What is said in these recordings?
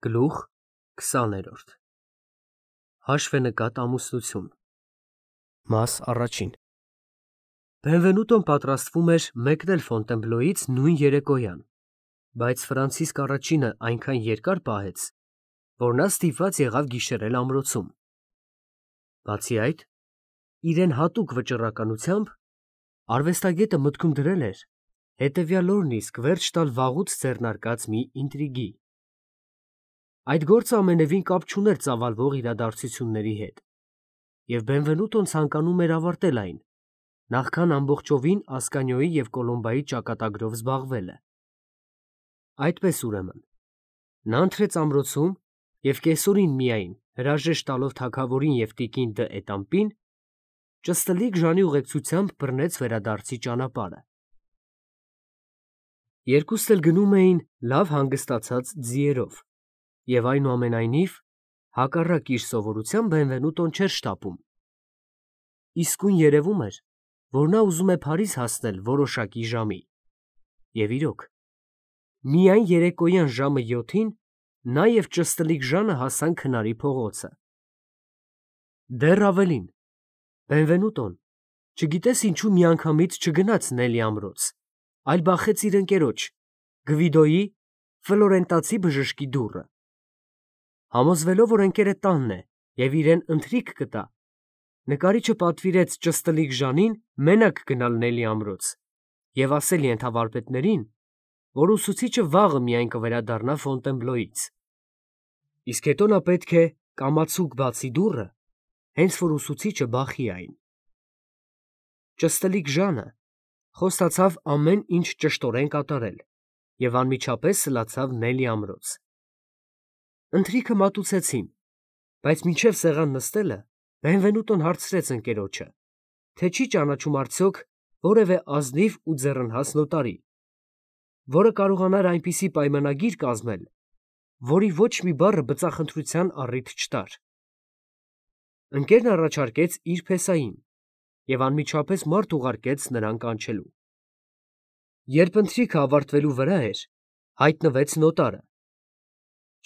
Գլուխ 20 Հաշվենկատ ամուսնություն Մաս առաջին Բենվենուտոն պատրաստվում էր մեկնել Ֆոնտենբլոյից նույն երեկոյան, բայց Ֆրանցիսկ առաջինը այնքան երկար պահեց, որ նա ստիպված եղավ գիշերել ամրոցում։ Բացի այդ, իրեն հատուկ վճռականությամբ արվեստագետը մտքում դրել էր հետևյալ օրն իսկ վերջ տալ վաղուց ձեռնարկած մի ինտրիգի։ Այդ գործը ամենևին կապ չուներ ծավալվող իրադարձությունների հետ, և Բենվենուտոն ցանկանում էր ավարտել այն, նախքան ամբողջովին Ասկանիոյի և Կոլոմբայի ճակատագրով զբաղվելը։ Այդպես ուրեմն, նա ընթրեց ամրոցում և կեսօրին միայն, հրաժեշտ տալով թագավորին և տիկին դ'Ետամպին, ճստլիկ Ժանի ուղեկցությամբ բռնեց վերադարձի ճանապարհը։ Երկուսն էլ գնում էին լավ հանգստացած ձիերով, և այնուամենայնիվ, հակառակ իր սովորության, Բենվենուտոն չէր շտապում։ Իսկույն երևում էր, որ նա ուզում է Փարիզ հասնել որոշակի ժամի, և իրոք, միայն երեկոյան ժամը 7-ին նա և ճստլիկ Ժանը հասան քնարի փողոցը։ Դեռ ավելին, Բենվենուտոն, չգիտես ինչու միանգամից չգնաց Նելի ամրոց, այլ բախեց իր ընկերոջ՝ Գվիդոյի, ֆլորենտացի բժշկի դուռը։ Համոզվելով, որ ընկերը տանն է և իրեն ընթրիք կտա, նկարիչը պատվիրեց ճստլիկ Ժանին մենակ գնալ Նելի ամրոց և ասել ենթավարպետներին, որ ուսուցիչը վաղը միայն կվերադառնա Ֆոնտենբլոյից, իսկ հետո նա պետք է կամացուկ բացի դուռը, հենց որ ուսուցիչը բախի այն։ Ճստլիկ Ժանը խոստացավ ամեն ինչ ճշտորեն կատարել և անմիջապես սլացավ Նելի ամրոց։ Ընթրիքը մատուցեցին, բայց մինչև սեղան նստելը Բենվենուտոն հարցրեց ընկերոջը, թե չի ճանաչում արդյոք որևէ ազնիվ ու ձեռնհաս նոտարի, որը կարողանար այնպիսի պայմանագիր կազմել, որի ոչ մի բառը բծախնդրության առիթ չտար։ Ընկերն առաջարկեց իր փեսային և անմիջապես մարդ ուղարկեց նրան կանչելու։ Երբ ընթրիքը ավարտվելու վրա էր, հայտնվեց նոտարը։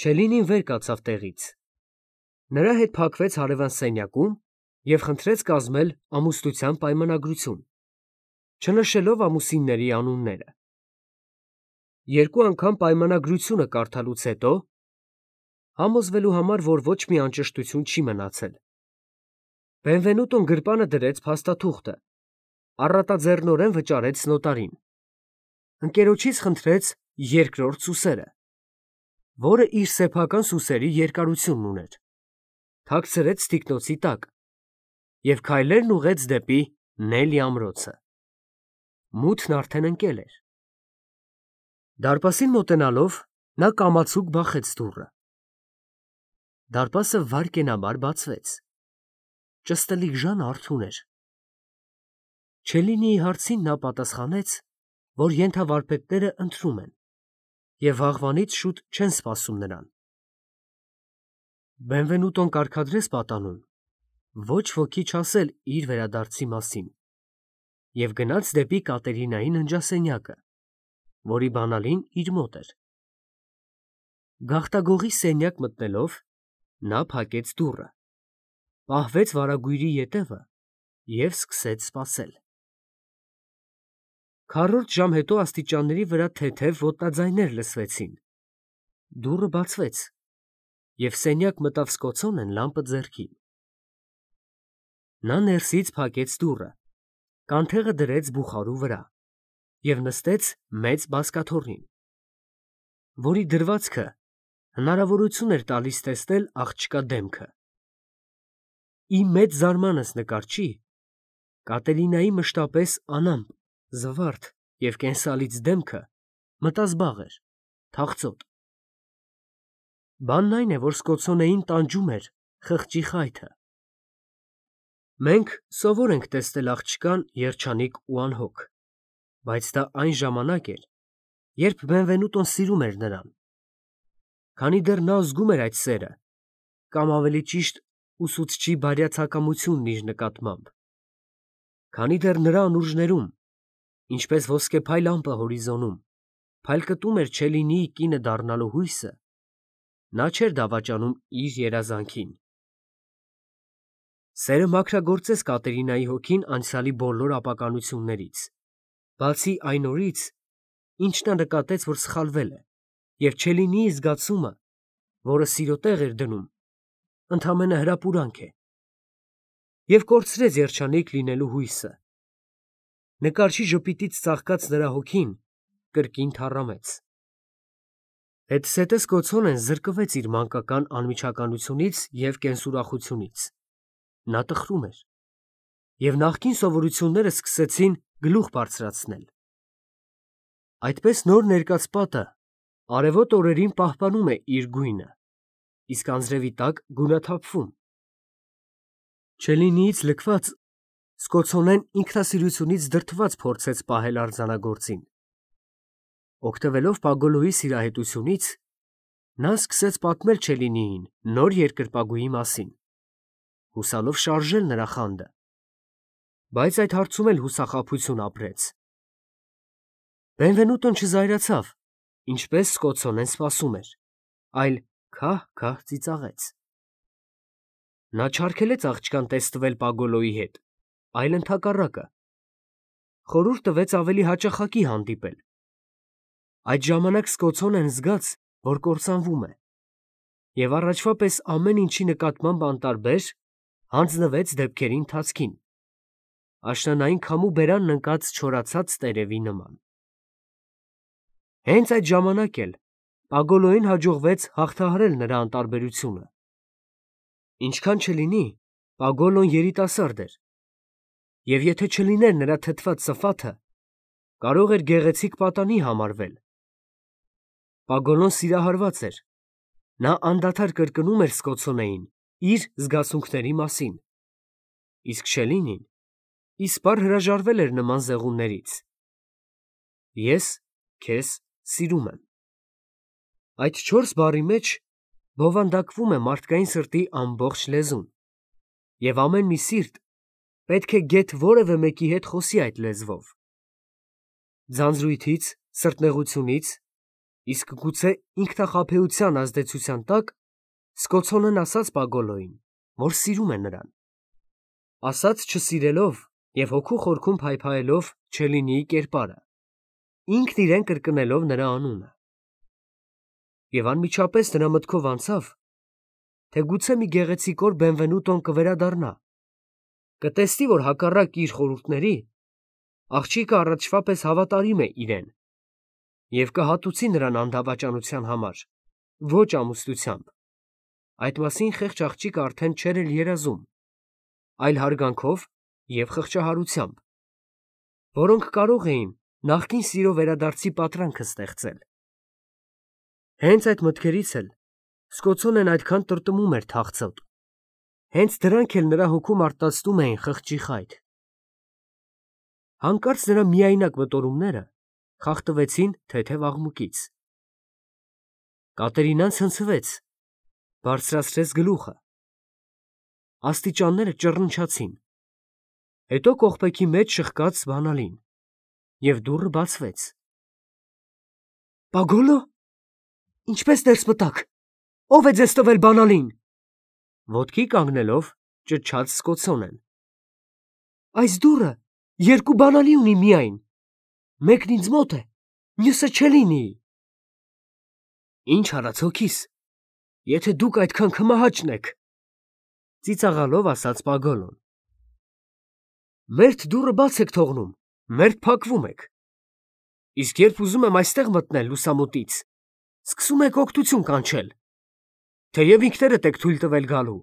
Չելինին վեր կացավ տեղից։ Նրա հետ փակվեց հարևան սենյակում և խնդրեց կազմել ամուսնության պայմանագրություն, չնշելով ամուսինների անունները։ Երկու անգամ պայմանագրությունը կարդալուց հետո, համոզվելու համար, որ ոչ մի անճշտություն չի մնացել, Բենվենուտոն գրպանը դրեց փաստաթուղթը, առատաձեռնորեն վճարեց նոտարին, ընկերոջից խնդրեց երկրորդ սուսերը, որը իր սեփական սուսերի երկարությունն ուներ, թաքցրեց թիկնոցի տակ և քայլերն ուղղեց դեպի Նելի ամրոցը։ Մութն արդեն ընկել էր։ Դարպասին մոտենալով, նա կամացուկ բախեց դուռը։ Դարպասը վայրկենաբար բացվեց։ Ճստլիկ Ժանը արթուն էր։ Չելինիի հարցին նա պատասխանեց, որ ենթավարպետները ընթրում են և վաղվանից շուտ չեն սպասում նրան։ Բենվենուտոն կարգադրեց պատանուն ոչ ոքի չասել իր վերադարձի մասին և գնաց դեպի Կատերինայի ննջասենյակը, որի բանալին իր մոտ էր։ Գաղտագողի սենյակ մտնելով, նա փակեց դուռը, պահվեց վարագույրի ետևը և սկսեց սպասել։ Քառորդ ժամ հետո աստիճանների վրա թեթև ոտնաձայներ լսվեցին։ Դուռը բացվեց, և սենյակ մտավ Սկոցոնեն լամպը ձեռքին։ Նա ներսից փակեց դուռը, կանթեղը դրեց բուխարու վրա և նստեց մեծ բազկաթոռին, որի դրվածքը հնարավորություն էր տալիս տեսնել աղջկա դեմքը։ Ի մեծ զարմանս նկարչի, Կատերինայի մշտապես անամպ, զվարթ և կենսալից դեմքը մտազբաղ էր, թախծոտ։ Բանն այն է, որ Սկոցոնեին տանջում էր խղճի խայթը։ Մենք սովոր ենք տեսնել աղջկան երջանիկ ու անհոգ, բայց դա այն ժամանակ էր, երբ Բենվենուտոն սիրում էր նրան, քանի դեռ նա զգում էր այդ սերը, կամ ավելի ճիշտ ուսուցչի բարյացակամությունն իր նկատմամբ, քանի դեռ նրա անուրջներում, ինչպես ոսկեփայլ ամպը հորիզոնում, փայլկտում էր Չելինիի կինը դառնալու հույսը, Նա չէր դավաճանում իր երազանքին։ Սերը մաքրագործեց Կատերինայի հոգին անցյալի բոլոր ապականություններից, բացի այն օրից, ինչ նա նկատեց, որ սխալվել է, և Չելինիի զգացումը, որը սիրո տեղ էր դնում, ընդամենը հրապուրանք է, և կորցրեց երջանիկ լինելու հույսը։ Նկարչի ժպիտից ծաղկած նրա հոգին կրկին թառամեց։ Հետզհետե Սկոցոնեն զրկվեց իր մանկական անմիջականությունից և կենսուրախությունից։ Նա տխրում էր, և նախկին սովորությունները սկսեցին գլուխ բարձրացնել։ Այդպես նոր ներկած պատը արևոտ օրերին պահպանում է իր գույնը, իսկ անձրևի տակ գունաթափվում։ Չելինիից լքված Սկոցոնեն ինքնասիրությունից դրդված փորձեց պահել արձանագործին։ Օգտվելով Պագոլոյի սիրահետությունից, նա սկսեց պատմել Չելինիին նոր երկրպագուի մասին, հուսալով շարժել նրա խանդը, բայց այդ հարցում էլ հուսախաբություն ապրեց։ Բենվենուտոն չզայրացավ, ինչպես Սկոցոնեն սպասում էր, այլ քահ-քահ ծիծաղեց։ Նա չարգելեց աղջկան տեստվել Պագոլոյի հետ, այլ ընդհակառակը, խորհուրդ տվեց ավելի հաճախակի հանդիպել։ Այդ ժամանակ Սկոցոնեն զգաց, որ կործանվում է, և առաջվա պես ամեն ինչի նկատմամբ անտարբեր հանձնվեց դեպքերի ընթացքին, աշնանային քամու բերանն ընկած չորացած տերևի նման։ Հենց այդ ժամանակ էլ Պագոլոյին հաջողվեց հաղթահարել նրա անտարբերությունը։ Ինչքան չլինի, Պագոլոն երիտասարդ էր, և եթե չլիներ նրա թթված սֆաթը, կարող էր գեղեցիկ պատանի համարվել։ Պագոլոն սիրահարված էր, նա անդադար կրկնում էր Սկոցոնեին իր զգացմունքների մասին, իսկ Չելինին իսպառ հրաժարվել էր նման զեղումներից։ Ես քեզ սիրում եմ։ Այդ 4 բառի մեջ բովանդակվում է մարդկային սրտի ամբողջ լեզուն, և ամեն մի սիրտ պետք է գեթ որևէ մեկի հետ խոսի այդ լեզվով։ Ձանձրույթից, սրտնեղությունից, իսկ գուցե ինքնախաբեության ազդեցության տակ Սկոցոնեն ասաց Պագոլոյին, որ սիրում է նրան։ Ասաց չսիրելով և հոգու խորքում փայփայելով Չելինիի կերպարը, ինքն իրեն կրկնելով նրա անունը։ Եվ անմիջապես նրա մտքով անցավ, թե գուցե մի գեղեցիկ օր Բենվենուտոն կվերադառնա, կտեսնի, որ հակառակ իր խորհուրդների, աղջիկը առաջվա պես հավատարիմ է իրեն, և կհատուցի նրան անդավաճանության համար, ոչ ամուսնությամբ։ Այդ մասին խեղճ աղջիկը արդեն չէր էլ երազում, այլ հարգանքով և խղճահարությամբ, որոնք կարող էին նախկին սիրո վերադարձի պատրանքը ստեղծել։ Հենց այդ մտքերից էլ Սկոցոնեն այդքան տրտմում էր թախծոտ, հենց դրանք էլ նրա հոգում արտացնում էին խղճի խայթ։ Հանկարծ նրա միայնակ մտորումները խախտվեցին թեթև աղմուկից։ Կատերինան ցնցվեց, բարձրացրեց գլուխը։ Աստիճանները ճռնչացին, հետո կողպեքի մեջ շխկաց բանալին, և դուռը բացվեց։ Պագոլո՞, ինչպես ներս մտաք, ո՞վ է ձեզ տվել բանալին, ոտքի կանգնելով ճչաց Սկոցոնեն։ Այս դուռը 2 բանալի ունի միայն, մեկն ինձ մոտ է, մյուսը Չելինիի։ Ինչ արած հոգիս, եթե դուք այդքան քմահաճն եք, ծիծաղալով ասաց Պագոլոն։ Մերթ դուռը բաց եք թողնում, մերթ փակվում եք, իսկ երբ ուզում եմ այստեղ մտնել լուսամուտից, սկսում եք օգտություն կանչել, թեև ինքներդ եք թույլ տվել գալու։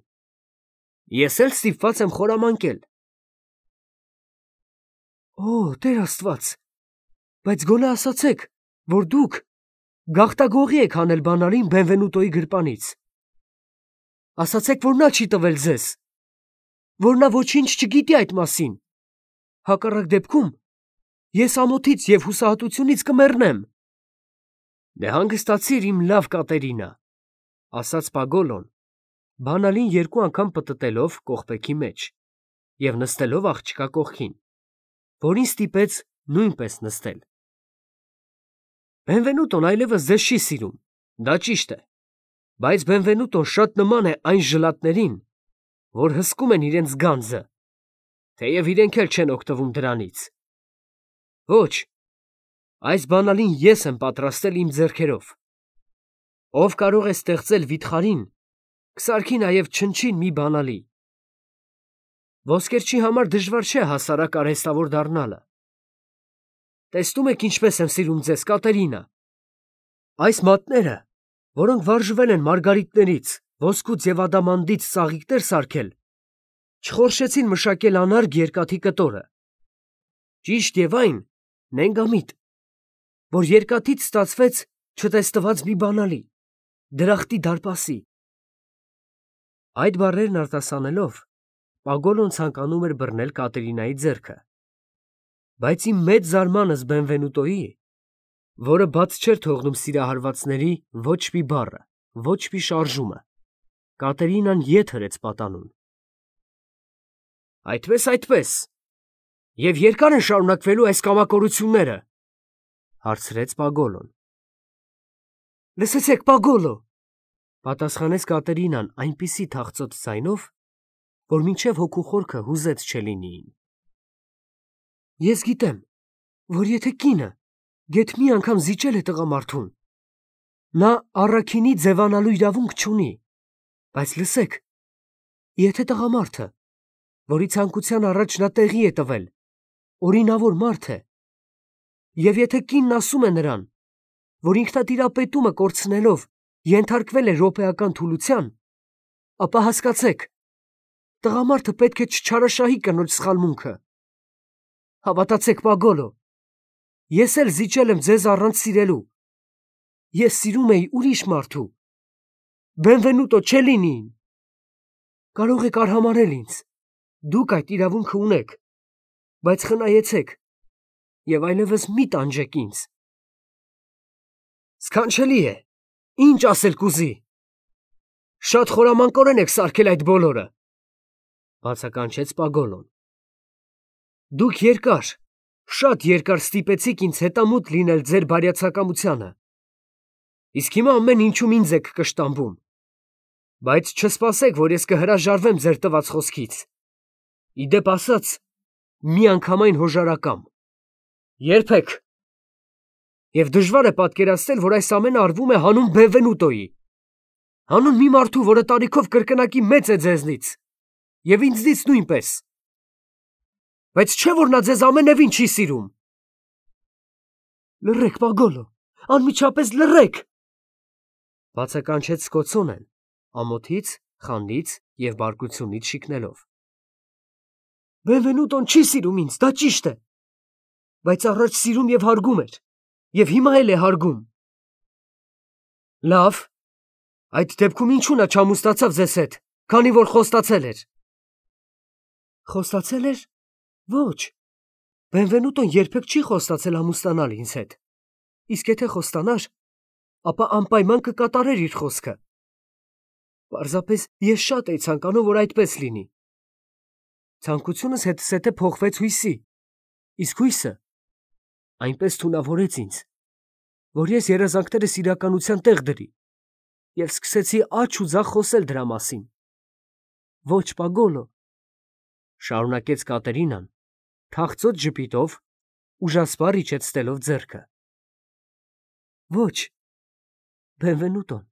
Ես էլ ստիպված եմ խորամանկել։ Օ, Տեր Աստված, բայց գոնե ասացեք, որ դուք գաղտագողի եք հանել բանալին Բենվենուտոյի գրպանից։ Ասացեք, որ նա չի տվել ձեզ, որ նա ոչինչ չգիտի այդ մասին։ Հակառակ դեպքում ես ամոթից և հուսահատությունից կմեռնեմ։ Դե հանգստացիր, իմ լավ Կատերինա, ասաց Պագոլոն, բանալին 2 անգամ պտտելով կողպեքի մեջ և նստելով աղջկա կողքին, որին ստիպեց նույնպես նստել։ Բենվենուտոն այլևս ձեզ չի սիրում, դա ճիշտ է, Բայց Բենվենուտոն շատ նման է այն ժլատներին, որ հսկում են իրենց գանձը, թեև իրենք էլ չեն օգտվում դրանից։ Ոչ, այս բանալին ես եմ պատրաստել իմ ձեռքերով։ Ով կարող է ստեղծել վիթխարին, կսարքի նաև չնչին մի բանալի։ Ոսկերչի համար դժվար չէ հասարակ արհեստավոր դառնալը։ Տեսնում եք ինչպես եմ սիրում ձեզ, Կատերինա։ Այս մատները, որոնք վարժվել են մարգարիտներից, ոսկուց եւ ադամանդից ծաղիկներ սարքել, չխորշեցին մշակել անարգ երկաթի կտորը։ Ճիշտ եւ այն նենգամիտ, որ երկաթից ստացվեց չտեսնված մի բանալի, դրախտի դարպասի։ Այդ բառերն արտասանելով, Պագոլոն ցանկանում էր բռնել Կատերինայի ձեռքը, բայց իմ մեծ զարմանս Բենվենուտոյի, որը բաց չէր թողնում սիրահարվածների ոչ մի բառը, ոչ մի շարժումը, Կատերինան ետ հրեց պատանուն։ Այդպես, և երկա՞ր են շարունակվելու այս կամակորությունները, հարցրեց Պագոլոն։ Լսեցեք, Պագոլո, պատասխանեց Կատերինան այնպիսի թախծոտ ձայնով, որ մինչև հոգու խորքը հուզեց Չելինիին։ Ես գիտեմ, որ եթե կինը գեթ մի անգամ զիջել է տղամարդուն, նա առաքինի ձևանալու իրավունք չունի, բայց լսեք, եթե տղամարդը, որի ցանկության առաջ նա տեղի է տվել, օրինավոր մարդ է, և եթե կինն ասում է նրան, որ ինքնատիրապետումը կորցնելով ենթարկվել է րոպեական թուլության, ապա հասկացեք, տղամարդը պետք է չչարաշահի կնոջ սխալմունքը։ Հավատացեք, Պագոլո, ես էլ զիջել եմ ձեզ առանց սիրելու։ Ես սիրում էի ուրիշ մարդու, Բենվենուտո Չելինիին։ Կարող եք արհամարհել ինձ, դուք այդ իրավունքը ունեք, բայց խնայեցեք և այլևս մի տանջեք ինձ։ Սքանչելի է, ինչ ասել կուզի։ Շատ խորամանկորեն եք սարքել այդ բոլորը, բացականչեց Պագոլոն։ Դուք երկար, շատ երկար ստիպեցիք ինձ հետամուտ լինել ձեր բարյացակամությանը, իսկ հիմա ամեն ինչում ինձ եք կշտամբում, բայց չսպասեք, որ ես կհրաժարվեմ ձեր տված խոսքից։ Ի դեպ ասած, միանգամայն հոժարակամ։ Երբեք։ Եվ դժվար է պատկերացնել, որ այս ամենը արվում է հանուն Բենվենուտոյի, հանուն մի մարդու, որը տարիքով կրկնակի մեծ է ձեզնից, և ինձնից նույնպես։ Բայց չէ՞ որ նա ձեզ ամենևին չի սիրում։ Լռեք, Պագոլո, անմիջապես լռեք, բացականչեց Սկոցոնեն, ամոթից, խանդից և բարկությունից շիկնելով։ Բենվենուտոն չի սիրում ինձ, դա ճիշտ է, բայց առաջ սիրում և հարգում էր, և հիմա էլ է հարգում։ Լավ, այդ դեպքում ինչու նա չամուսնացավ ձեզ հետ, քանի որ խոստացել էր։ Խոստացել էր։ Ոչ, Բենվենուտոն երբեք չի խոստացել ամուսնանալ ինձ հետ, իսկ եթե խոստանար, ապա անպայման կկատարեր իր խոսքը։ Պարզապես ես շատ էի ցանկանում, որ այդպես լինի։ Ցանկությունս հետզհետե փոխվեց հույսի, իսկ հույսը այնպես թունավորեց ինձ, որ ես երազանքներս իրականության տեղ դրի և սկսեցի աջ ու ձախ խոսել դրա մասին։ Ոչ, Պագոլո, շարունակեց Կատերինան, թախծոտ ժպիտով, ուժասպառ իջեցնելով ձեռքը։ Ոչ, Բենվենուտոն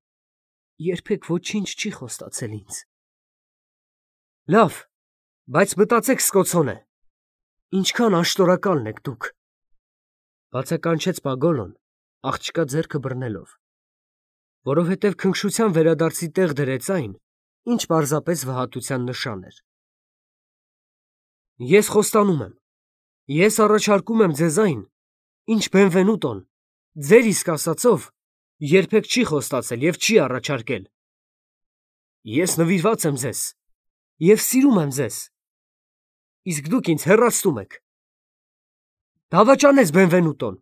երբեք ոչինչ չի խոստացել ինձ։ Լավ, բայց մտածեք, Սկոցոնե, ինչքան աշտորակալն եք դուք, բացականչեց Պագոլոն, աղջկա ձեռքը բռնելով, որովհետև քնքշության վերադարձի տեղ դրեց այն, ինչ պարզապես վհատության նշան էր։ Ես խոստանում եմ, ես առաջարկում եմ ձեզ այն, ինչ Բենվենուտոն, ձեր իսկ ասածով, երբեք չի խոստացել և չի առաջարկել։ Ես նվիրված եմ ձեզ և սիրում եմ ձեզ, իսկ դուք ինձ հեռացնում եք։ Դավաճանեց Բենվենուտոն,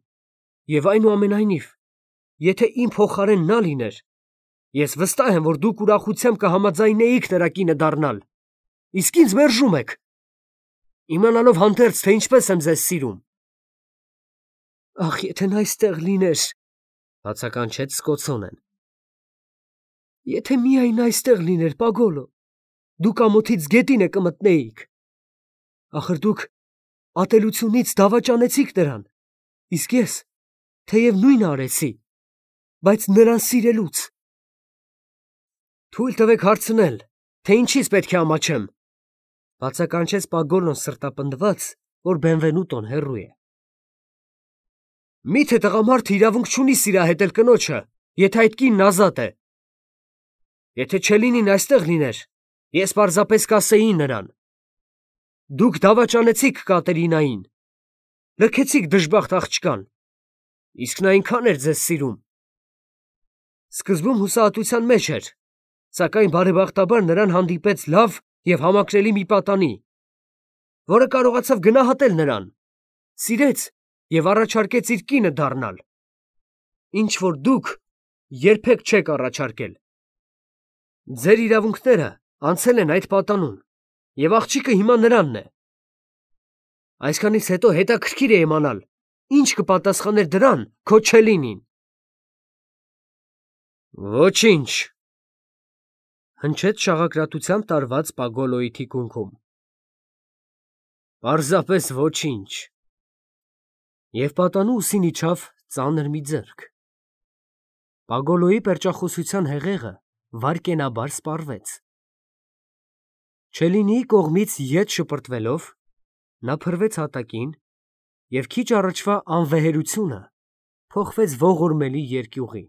և այնուամենայնիվ, եթե իմ փոխարեն նա լիներ, ես վստահ եմ, որ դուք ուրախությամբ կհամաձայնեիք նրա կինը դառնալ, իսկ ինձ մերժում եք, իմանալով հանդերձ, թե ինչպես եմ ձեզ սիրում։ Ախ, եթե նա այստեղ լիներ, բացականչեց Սկոցոնեն։ Եթե միայն այստեղ լիներ, Պագոլո, դուք ամոթից գետինը կմտնեիք։ Ախր դուք ատելությունից դավաճանեցիք նրան, իսկ ես, թեև նույնը արեցի, բայց նրան սիրելուց։ Թույլ տվեք հարցնել, թե ինչից պետք է ամաչեմ, բացականչեց Պագոլոն սրտապնդված, որ Բենվենուտոն հեռու է։ Միթե տղամարդը իրավունք չունի սիրահետել կնոջը, եթե այդ կինն ազատ է։ Եթե Չելինին այստեղ լիներ, ես պարզապես կասեի նրան. դուք դավաճանեցիք Կատերինային, լքեցիք դժբախտ աղջկան, իսկ նա այնքան էր ձեզ սիրում։ Սկզբում հուսահատության մեջ էր, սակայն բարեբախտաբար նրան հանդիպեց լավ և համակրելի մի պատանի, որը կարողացավ գնահատել նրան, սիրեց և առաջարկեց իր կինը դառնալ, ինչ որ դուք երբեք չեք առաջարկել։ Ձեր իրավունքները անցել են այդ պատանուն, և աղջիկը հիմա նրանն է։ Այսքանից հետո հետաքրքիր է իմանալ, ինչ կպատասխաներ դրան քո Չելինին։ Ոչինչ, հնչեց շաղակրատությամբ տարված Պագոլոյի թիկունքում։ Պարզապես ոչինչ։ Եվ պատանու ուսին իջավ ծանր մի ձեռք։ Պագոլոյի պերճախոսության հեղեղը վայրկենաբար սպառվեց։ Չելինիի կողմից ետ շպրտվելով, նա փռվեց հատակին և քիչ առաջվա անվեհերությունը փոխվեց ողորմելի երկյուղի։